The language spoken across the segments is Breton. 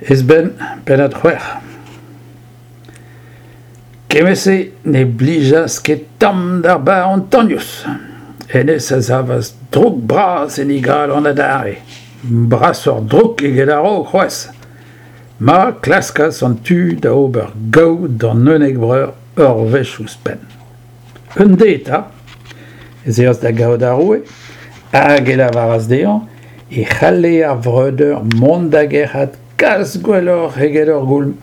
Esben, pennad c'hwec'h. Kement-se ne blijas ket tamm d'ar baron Tagnous. Hennezh a savas droug bras en e galon adarre, brasoc'h droug eget a-raok c'hoazh, ma klaskas an tu da ober gaou d'an unnek breur ur wech ouzhpenn. Un deiz 'ta ez eas da gaout ar roue hag e lavaras dezhañ e c'halle ar vreudeur mont da gerc'hat kalz gwelloc'h eget ur goulm,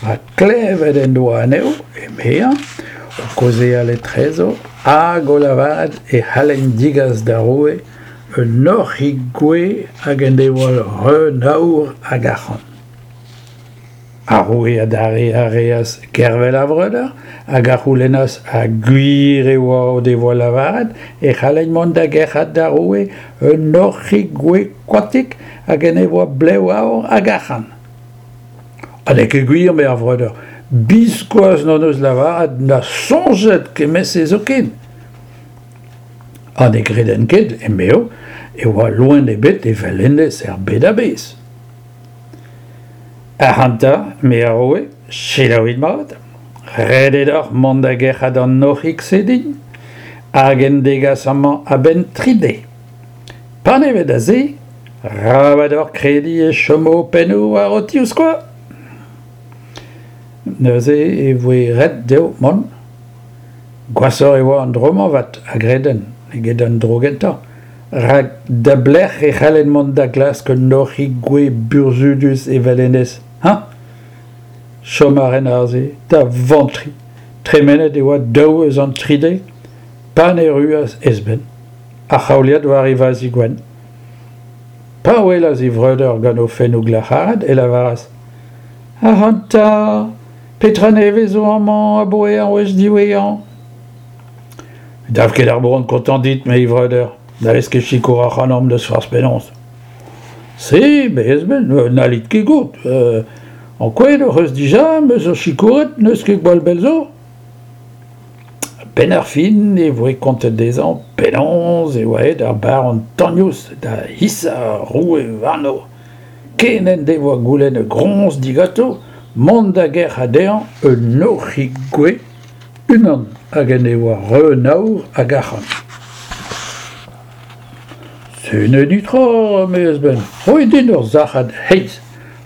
rak klevet en doa anezho, emezañ, o kaozeal etrezo hag o lavaret e c'hallent degas d'ar roue un hoc'hig gouez hag en devoa reun aour hag arc'hant. Ar roue adarre a reas gervel ar vreudeur hag a c'houlennas ha gwir e oa o devoa lavaret e c'hallent mont da gerc'hat d'ar roue un hoc'hig gouez koatik hag en devoa blev aour hag arc'hant. Ha n'eo ket gwir, eme ar vreudeur, biskoazh n'hon eus lavaret na soñjet kement-se zoken. Ha ne greden ket, emezho, e oa loen ebet evel hennezh er bed a-bezh. Ac'hanta, me a roue, selaouit mat, ret eo deoc'h mont da gerc'hat an hoc'hig-se din, hag en degas amañ a-benn tri deiz. Panevet da se, rabat deoc'h krediñ e chomo ho pennoù war ho tivskoaz. Neuze e voe ret dezho mont. Gwashoc'h e oa an dro-mañ avat, a greden, eget an dro gentañ. Rak da belec'h e c'hallen mont da glask un hoc'hig gouez burzhudus evel hennezh, hañ ? Chom a ren aze, da vantriñ. Tremenet e oa daou eus an tri deiz pan erruas Esben, ar c'haoliad war e vazh gwenn. Pa welas e vreudeur gant o fennoù glac'haret e lavaras Ac'hanta, petra nevez zo amañ aboe ar wech diwezhañ ? Ne dav ket ar boan kontañ dit, me vreudeur, n'hallez ket sikour ac'hanomp n'eus forzh penaos. Se, bez-ben, n'hallit ket goût. Ankouaet hoc'h eus dija em eus ho sikouret n'eus ket gwall bell zo. A-benn ar fin e voe kontet dezhañ penaos e oa aet ar baron Tagnous da hisañ ar roue warno, ken en devoa goulennet groñs diganto mont da gerc'hat dezhañ un hoc'hig gouez Unan hag en devoa reun aour hag arc'hant. Se n'eo netra, eme Esben, roit din ur sac'had heiz,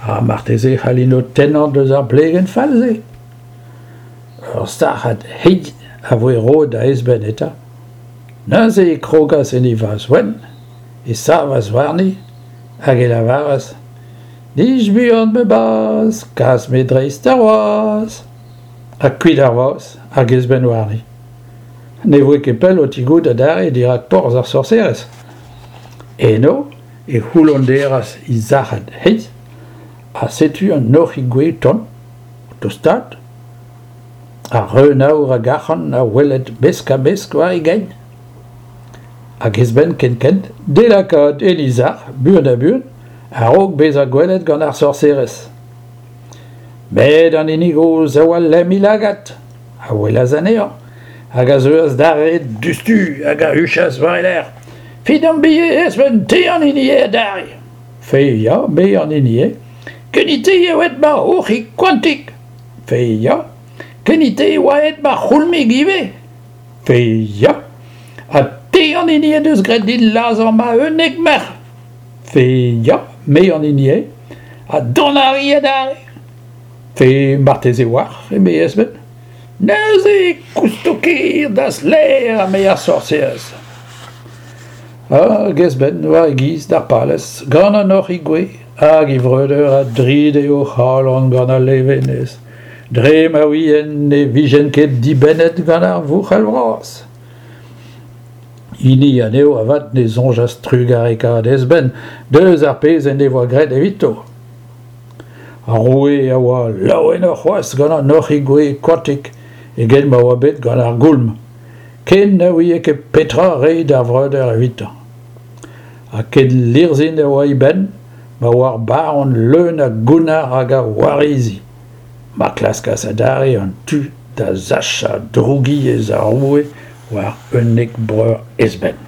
ha marteze e c'hallin ho tennañ deus ar blegenn fall-se. Ur sac'had heiz a voe roet da Esben eta. Neuze e krogas en e vazh wenn, e savas warni, hag e lavaras Nij buan ma bazh, kas me dreist ar wazh. Ha kuit ar vazh hag Esben warni. Ne voe ket pell o tigout adarre dirak porzh ar sorserez. Eno e c'houllonderas he sac'had heiz, ha setu an hoc'hig gouez tont, o tostaat. Ar reun aour hag arc'hant a weled mesk-ha-mesk war e gein. Hag Esben kenkent d'e lakaat en he sac'h buan-ha-buan a-raok bezañ gwelet gant ar sorserez. Met an hini gozh a oa lemm he lagad, a welas anezhañ, hag a zeuas d'ar red diouzhtu hag a huchas war e lerc'h. Fidambie, Esben, te an hini eo adarre. Fe ya, me an hini eo. Kenite eo aet ma hoc'hig koantik. Fe ya. Kenite e oa aet ma c'houlmig ivez. Fe ya. Ha te an hini en deus graet din lazhañ ma unnek merc'h. Fe ya, me an hini eo. Ha dont a ri adarre. Fe marteze 'oar, eme Esben. Neuze e kousto ker da'z lêr, eme ar sorserez. Hag Esben war e giz d'ar palez, gant an hoc'hig gouez, hag e vreudeur a dride o c'halon gant al levenez, dre ma ouient ne vijent ket dibennet gant ar vouc'hal vras. Hini anezho avat ne soñjas trugarekaat Esben deus ar pezh en devoa graet evito. Ar roue a oa laouenoc'h c'hoazh gant an hoc'hig gouez koatik eget ma oa bet gant ar goulm, ken na ouie ket petra reiñ d'ar vreudeur evitañ. Ha ken lirzhin e oa e benn ma oa ar baron leun a gounnar hag a warizi. Ma klaskas adarre an tu da sachañ drougiezh ar roue war unnek breur Esben.